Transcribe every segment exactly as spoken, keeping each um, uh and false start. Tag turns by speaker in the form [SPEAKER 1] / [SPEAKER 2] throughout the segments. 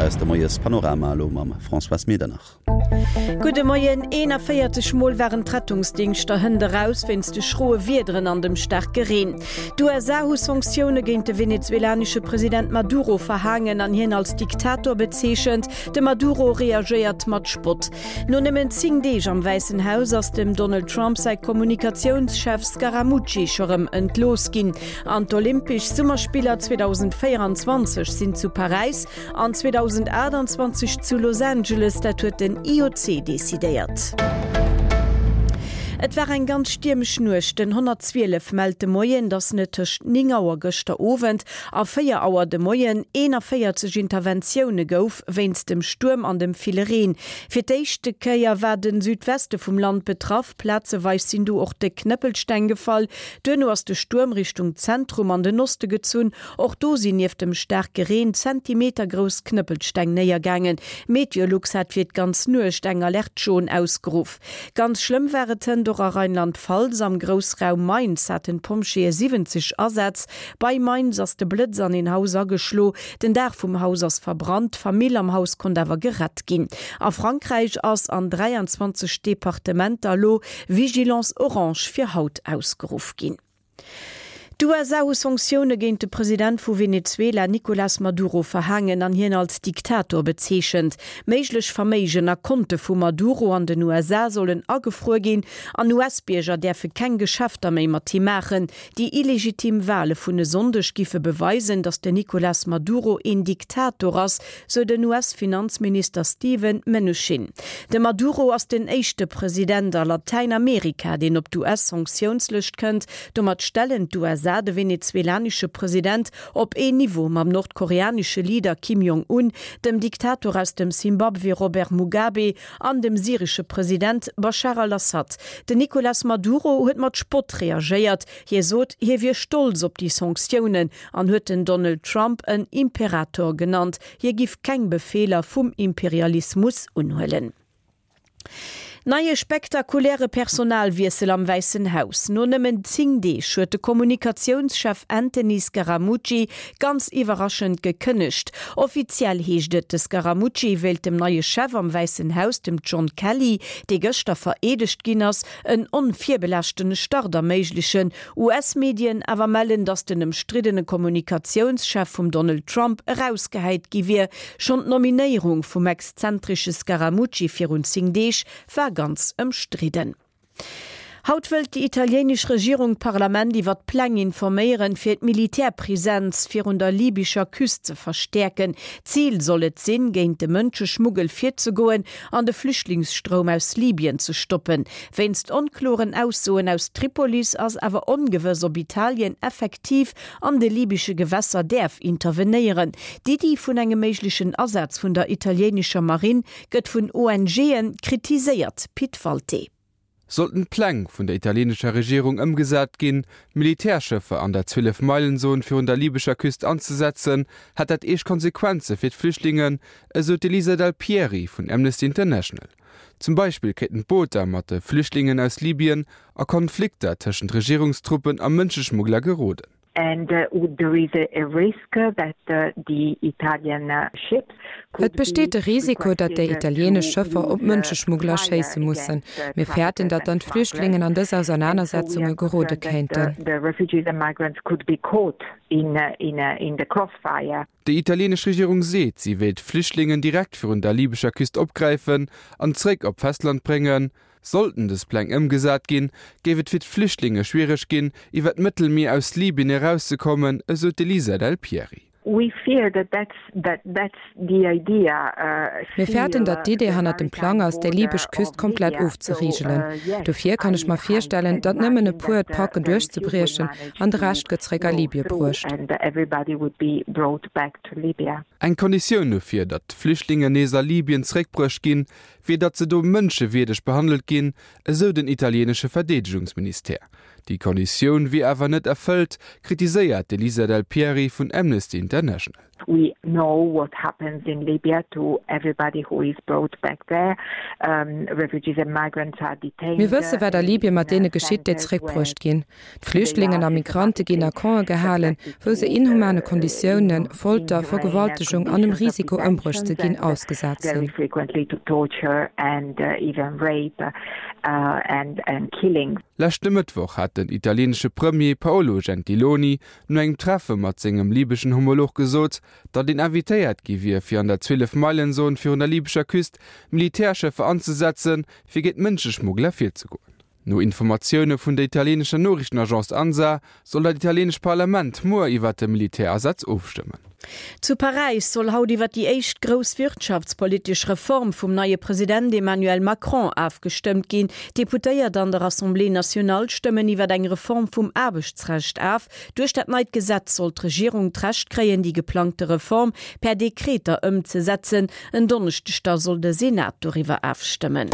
[SPEAKER 1] aus dem Moiespanorama elo mam Françoise Medernach.
[SPEAKER 2] Gudde Moien, eenanvéierzeg Mol waren d'Rettungsdingschter hënt eraus wéinst de schroe Wiederen an dem staarke Reen. D'USA hu Sanktioune géint de venezuelanesche President Maduro verhaangen an hien als Diktator bezeechent. De Maduro reagéiert mat Spott. No nëmmen zéng Deeg am Wäissen Haus ass dem Donald Trump säi Kommunikatiounschef Scaramucci scho rëm entlooss ginn. An d'Olympesch Summerspiller zweedausendvéieranzwanzeg sinn zu Paräis an zweedausendachtanzwanzeg zu Los Angeles, dat huet den I O C decidéiert. Et war eng ganz stiermesch Nuecht. Den honnertzwielef mellt de Moien, datt net tëscht néng Auer gëschter Owend a véier Auer de Moien eenanvéierzeg Interventioune gouf wéinst dem Stuerm an dem ville Reen. Fir d'éischte Kéier war de Südweste vum Land betraff, plazeweis sinn do och déck Knëppelsteng gefall. Duerno ass de Stuerm Richtung Zentrum an den Oste gezunn. Och do sinn nieft dem staarke Reen zentimetergrouss Knëppelsteng néiergaangen. Meteolux hat fir d'ganz Nuecht eng Alerte jaune ausgeruff. Ganz schlëmm war et hënt och a Rheinland-Pfalz, am Groussraum Mainz haten d'Pompjeeë siwwenzeg Asätz. Bei Mainz ass de Blëtz an een Haus ageschlo. Den Daach vum Haus ass verbrannt, d'Famill am Haus konnt awer gerett ginn. A Frankräich ass an dräianzwanzeg Departementer elo Vigilance orange fir haut ausgeruff ginn. D'USA hu Sanktioune géint de President vu Venezuela Nicolas Maduro verhaangen an hien als Diktator bezeechent. Méiglech Verméigen a Konte vum Maduro an den U S A sollen agefruer ginn an U S-Bierger däerfe keng Geschäfter méi mat him maachen. Déi illegitim Wale vun e Sonndeg giffe beweisen, datt den Nicolas Maduro een Diktator ass, sou den U S-Finanzminister Steven Mnuchin. De Maduro ass den éischte President a Latäinamerika, deen op d'U S-Sanktiounslëscht kënnt. Domat stellen d'U S A de venezuelanesche President op een Niveau mam nordkoreanesche Leader Kim Jong-un, dem Diktator aus dem Simbabwe Robert Mugabe an dem syresche President Bashar al-Assad. Den Nicolas Maduro huet mat Spott reagéiert. Hie sot, hie wier stolz op déi Sanktiounen an huet den Donald Trump en Imperator genannt. Hie giff keng Befeeler vum Imperialismus unhuelen. Neie spektakuläre Personalwiessel am Wäissen Haus. No nëmmen zéng Deeg huet de Kommunikatiounschef Anthony Scaramucci ganz iwwerraschend gekënnegt. Offiziell heescht et, de Scaramucci wéilt dem neie Chef am Wäissen Haus, dem John Kelly, dee gëschter vereedegt ginn ass, en onvirbelaaschtene Start erméiglechen. U S-Medien awer mellen, datt den ëmstriddene Kommunikatiounschef vum Donald Trump erausgehäit gi wier. Schonn d'Nominéierung vum exzentresche Scaramucci virun zéng Deeg war ganz ëmstridden. Haut wëllt déi italieenesch Regierung d'Parlament iwwer d'Pläng informéieren, fir d'Militärpresenz virun der libyscher Küst ze verstäerken. Zil soll et sinn, géint de Mënscheschmuggel virzegoen an de Flüchtlingsstroum aus Libyen ze stoppen. Wéinst onkloren Aussoen aus Tripolis ass awer ongewëss, ob Italien effektiv an de libysche Gewässer däerf intervenéieren. D'Iddi vun engem méiglechen Asaz vun der italieenescher Marinn gëtt vun O N G'e kritiséiert. Pit Walté.
[SPEAKER 3] Sollten d'Pläng vun der italieenescher Regierung ëmgesat ginn, Militärschëffer an der Zwielef-Meilen-Zon virun der libyscher Küst anzesetzen, hätt dat eescht Konsequenze fir d'Flüchtlingen, esou d'Elisa Del Pieri vun Amnesty International. Zum Beispill kéinten d'Booter mat de Flüchtlingen aus Libyen a Konflikter tëschent Regierungstruppen a Mënscheschmuggler geroden.
[SPEAKER 4] And uh, there is a risk that uh, the Italian uh, ships
[SPEAKER 5] Et besteet de Risiko, datt déi italieenesch Schëffer op Mënscheschmuggler schéisse mussen. Mir fäerten, datt dann d'Flüchtlingen an dës Ausernanersetzunge gerode kéinten.
[SPEAKER 4] The refugees and migrants could be caught in, in, in the crossfire.
[SPEAKER 3] Déi italieenesch Regierung seet, si wéilt d'Flüchtlingen direkt virun der libyscher Küst opgräifen an zréck op d'Festland bréngen. Sollten dës Pläng ëmgesat ginn, géif et fir d'Flüchtlinge schwiereg ginn, iwwer d'Mëttelmier aus Libyen erauszekommen, esou d'Elisa Del Pieri.
[SPEAKER 4] We fear that that's, that that's the idea, uh,
[SPEAKER 5] Mir fäerten, datt d'Idee hannert dem Plang ass, déi libysch Küst komplett ofzerigelen. Dofir kann ech mer virstellen, datt nëmmen e puer et packen duerchzebriechen an de Rescht gëtt zréck a Libye bruecht.
[SPEAKER 3] Eng Konditioun dofir, datt d'Flüchtlingen nees a Libyen zréckbruecht ginn, wier datt se do mënschewierdeg behandelt ginn, esou den italieenesche Verdeedegungsministère. Déi Konditioun wier awer net erfëllt, kritiséiert d'Elisa Del Pieri vun Amnesty International.
[SPEAKER 4] We know what happens in Libya to everybody who is brought back there. Refugees and migrants are detained.
[SPEAKER 5] Mir wësse wat a Libyen mat deene geschitt, déi zeréckbruecht ginn. D'Flüchtlingen a Migrante ginn a Campe gehalen, wou se inhumane Konditiounen, Folter, Vergewaltegung an dem Risiko ëmbruecht ze ginn ausgesat sinn.
[SPEAKER 3] Leschte Mëttwoch hat den italieenesche Premier Paolo Gentiloni no engem Treffe mat sengem libeschen Homolog gesot, datt een invitéiert gi wier, fir an der Zwielef-Meilen-Zon virun der libescher Küst Militärschëffer anzesetzen, fir géint Mënscheschmuggler virzegoen. No Informatioune vun der italieenescher Noriichtenagence Ansa soll dat italieenescht Parlament muer iwwert de Militärasaz ofstëmmen.
[SPEAKER 2] Zu Paräis soll haut iwwer déi éischt grouss wirtschaftspolitesch Reform vum neie President Emmanuel Macron afgestëmmt ginn. D'Deputéiert an der Assemblée nationale stëmmen iwwer eng Reform vum Aarbechtsrecht af. Duerch dat neit Gesetz soll d'Regierung d'Recht kréien, déi geplangte Reform per Dekreter ëmzesetzen. En Donneschdeg da soll de Senat doriwwer afstëmmen.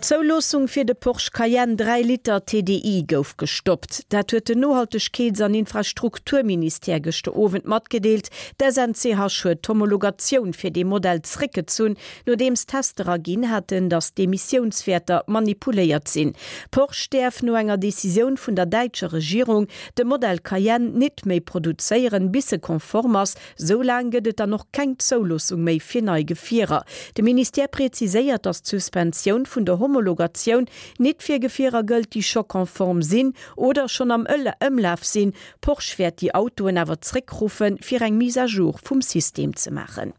[SPEAKER 2] D'Zouloossung fir de Porsche Cayenne dräi Liter TDI gouf gestoppt. Dat huet den Nohaltegkeets an Infrastrukturministère gëschter Owend matgedeelt. D'SNCH huet d'Homologatioun fir dee Modell zréckgezunn, nodeems Tester erginn haten, datt d'Emissiounswäerter manipuléiert sinn. Porsche däerf no enger Decisioun vun der däitscher Regierung de Modell Cayenne nit méi produzéieren, bis e konform ass. Sou laang gëtt et dann och keng Zouloossung méi fir nei Gefierer. De Ministère präziséiert, datt d'Suspensioun vun der Homologatioun nit fir Gefierer gëllt, déi scho konform sinn oder schonn am Ëmlaf sinn. Porsche wäert déi Autoen awer zréckruffen, fir eng Mise à jour vum System ze maachen.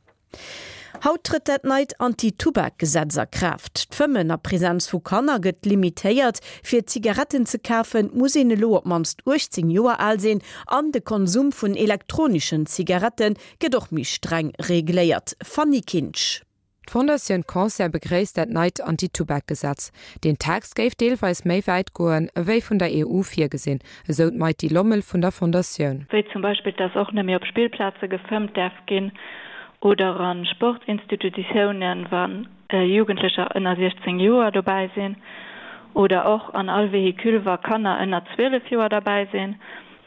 [SPEAKER 2] Haut trëtt dat neit Anti-Tubak-Gesetz a Kraaft. D'Fëmmen a Presenz vu Kanner gëtt limitéiert. Fir Zigaretten ze kafen, muss een elo op d'mannst uechtzéng Joer al sinn an de Konsum vun elektroneschen Zigarette gëtt och méi streng regléiert. Fanny Kinsch.
[SPEAKER 5] D'Fondatioun Cancer begréisst dat neit Anti-Tubak-Gesetz. Den Text géif deelweis méi wäit goen, ewéi vun der E U virgesinn, esou d'Maity Lommel vun der Fondatioun.
[SPEAKER 6] Wéi zum Beispill, dass och net méi op Spillplaze gefëmmt däerf ginn oder a Sportinstitutiounen, wa Jugendlecher ënner siechzéng Joer dobäi sinn, oder och an all Véhicule, wa Kanner ënner zwielef Joer derbäi sinn.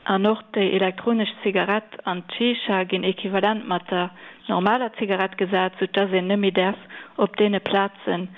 [SPEAKER 6] An och déi elektronesch Zigarett an d'Shisha ginn equivalent mat der normaler Zigarett gesat, sou dass een net méi däerf op deene Plazen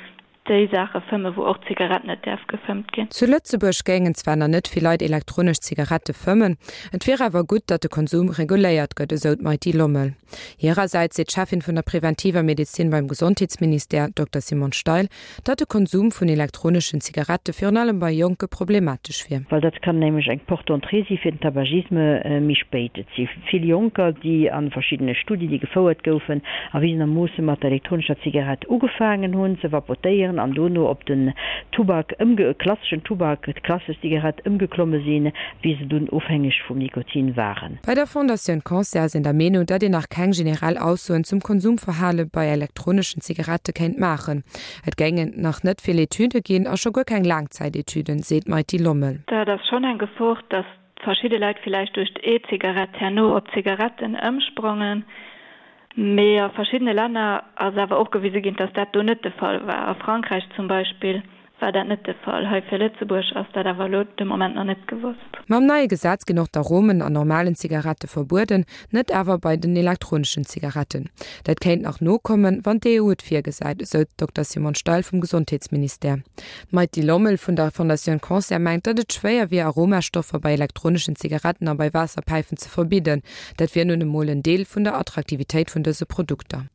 [SPEAKER 6] déi Saache fëmmen, wou och d'Zigarett net däerf gefëmmt ginn.
[SPEAKER 5] Zu Lëtzebuerg géingen zwar nach net vill Leit elektronesch Zigarette fëmmen, et wier awer gutt, datt de Konsum reguléiert gëtt, esou d'Maity Lommel. Hirersäits seet d'Cheffin vun der preventiver Medezin beim Gesondheetsministère, Dokter Simone Steil, datt de Konsum vun elektroneschen Zigarette virun allem bei Jonke problematesch wier.
[SPEAKER 7] Well dat kann nämlech eng Porte d'entrée si fir den Tabagisme méi spéit. Et si vill Jonker, déi a verschiddene Studie, déi gefouert goufen, erwisenermoosse mat der elektronescher Zigarett ugefaangen hunn ze vapotéieren an dono op den Tubak ëmge-, klasseschen Tubak, d'klassesch Zigarett ëmgeklomme sinn, wéi se dunn ofhängeg vum Nikotin waren.
[SPEAKER 5] Bei der Fondatioun Cancer ass een der Meenung, datt een nach keng generell Aussoen zum Konsumverhale bei elektroneschen Zigarette kéint maachen. Et géingen nach net vill Etüde ginn a scho guer keng Laangzäitetüden, seet d'Maity Lommel.
[SPEAKER 6] Dat ass schonn eng Gefor, datt verschidde Leit villäicht duerch d'E-Zigarett herno op Zigaretten ëmsprangen. Mee a verschiddene Länner ass awer och gewise ginn, datt dat do net de Fall war. A Frankräich zum Beispill war dat net de Fall. Hei fir Lëtzebuerg ass dat awer elo de Moment nach net gewosst.
[SPEAKER 5] Mam neie Gesetz ginn och d'Aromen an normalen Zigarette verbueden, net awer bei den elektroneschen Zigaretten. Dat kéint nach nokommen, wann d'E U et virgesäit, esou d'Dokter Simone Steil vum Gesondheetsministère. D'Maity Lommel vun der Fondatioun Cancer mengt, datt et schwéier wier, Aromastoffer bei elektroneschen Zigaretten a bei Waasserpäifen ze verbidden. Dat wier nun emol en Deel vun der Attraktivitéit vun dëse Produkter.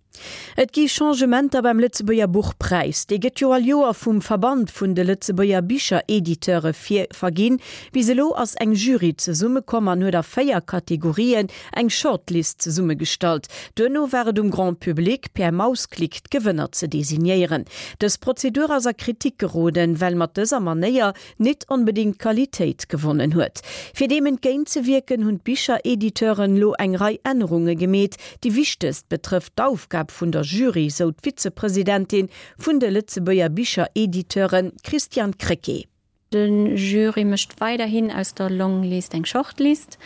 [SPEAKER 2] Et gi Changementer beim Lëtzebuerger Buchpräis. Dee gëtt jo all Joer vum Verband vun de Lëtzebuerger Bicherediteure vir verginn. Bis elo ass eng Jury zesummekomm an huet a véier Kategorien eng Shortlist zesummegestallt. Duerno war et um Grand Public, per Mausklick d'Gewënner ze designéieren. Dës Prozedur ass a Kritik geroden, well mat dëser Manéier nit onbedéngt Qualitéit gewonnen huet. Fir deem entgéintzewierken, hunn d'Bicherediteuren elo eng Rei Ännerunge gemeet. Déi wichtegst betrëfft d'Aufgab vun der Jury, sou d'Vizepresidentin vun de Lëtzebuerger Bicherediteuren, Christiane Krecké.
[SPEAKER 8] De Jury mécht weiderhin aus der Longlist eng Shortlist,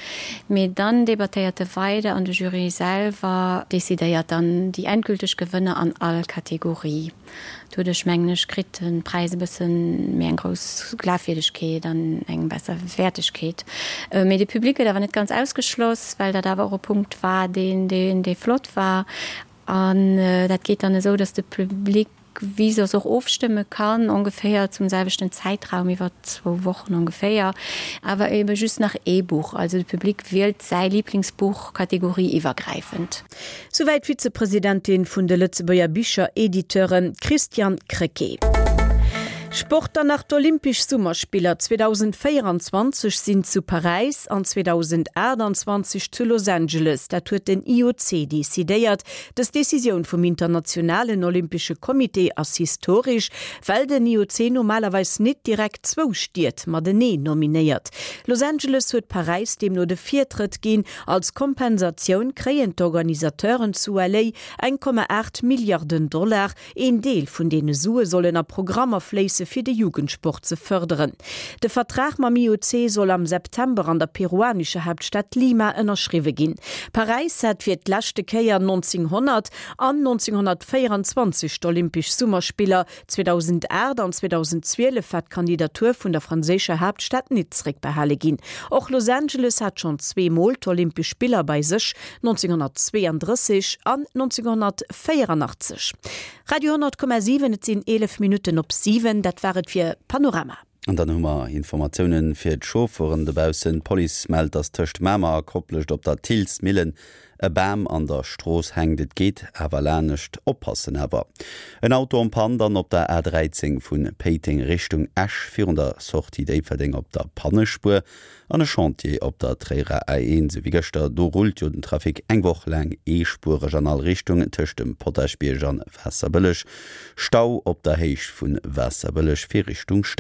[SPEAKER 8] mee dann debattéiert e weider an de Jury selwer decidéiert dann déi endgülteg Gewënner an all Kategorie. Doduerch, mengen ech, kritt de Präis e bësse méi eng grouss Glafwierdegkeet an eng besser Wäertegkeet. Mee de Public gëtt awer net ganz ausgeschloss, well dat awer och e Punkt war, deen, deen, dee flott war. An dat geet dann esou, dass de Public wéi soss och ofstëmme kann, ongeféier zum selwechten Zäitraum, iwwer zwou Wochen ongeféier, awer ebe just nach ee Buch. Also de Public wielt säi Liblingsbuch kategorieiwwergräifend.
[SPEAKER 2] Souwäit d'Vizepresidentin vun de Lëtzebuerger Bicherediteuren, Christiane Krecké. Sport dann nach, D'Olympesch Summerspiller zweedausendvéierenzwanzeg sinn zu Paräis an zweedausendaachtenzwanzeg zu Los Angeles. Dat huet den I O C decidéiert. Dës Decisioun vum Internationalen Olympesche Comité ass historesch, well den I O C normalerweis net direkt zwou Stied matenee nominéiert. Los Angeles huet Paräis deemno de Virtrëtt ginn. Als Kompensatioun kréien d'Organisateuren zu L A eng Komma aacht Milliarden Dollar. Een Deel vun deene Sue sollen a Programmer fléisse fir de Jugendsport ze fërderen. De Vertrag mam I O C soll am September an der peruanescher Haaptstad Lima ënnerschriwwe ginn. Paräis hat fir d'leschte Kéier nonzénghonnert an nonzénghonnertvéierenzwanzeg d'Olympesch Summerspiller, zweedausendacht an zweedausendzwielef war d'Kandidatur vun der franséischer Haaptstad net zeréckbehale ginn. Och Los Angeles hat schonn zweemol d'Olympesch Spiller bei sech, nonzénghonnertzweeandrësseg an nonzénghonnertvéieranachtzeg. Radio honnert Komma siwen, et sinn eelef Minutten op siwen, dat war et fir Panorama.
[SPEAKER 1] An dann hu mer Informatiounen fir d'Chauffeuren dobaussen. D'Police mellt, dass tëscht Mamer a Koplescht op der Thillsmillen e Bam an der Strooss hänkt. Et geet awer lanescht, oppassen awer. En Auto en panne dann op der A dräizéng vu Péiteng Richtung Esch virun der Sortie Déifferdeng op der Pannespuer an e Chantier op der Tréierer A eent, sou wéi gëschter. Do rullt jo den Trafic eng Woch laang eespuereg an all Richtung tëscht dem Potaschbierg an Waasserbëlleg. Stau op der Héicht vu Waasserbëlleg fir Richtung Stad.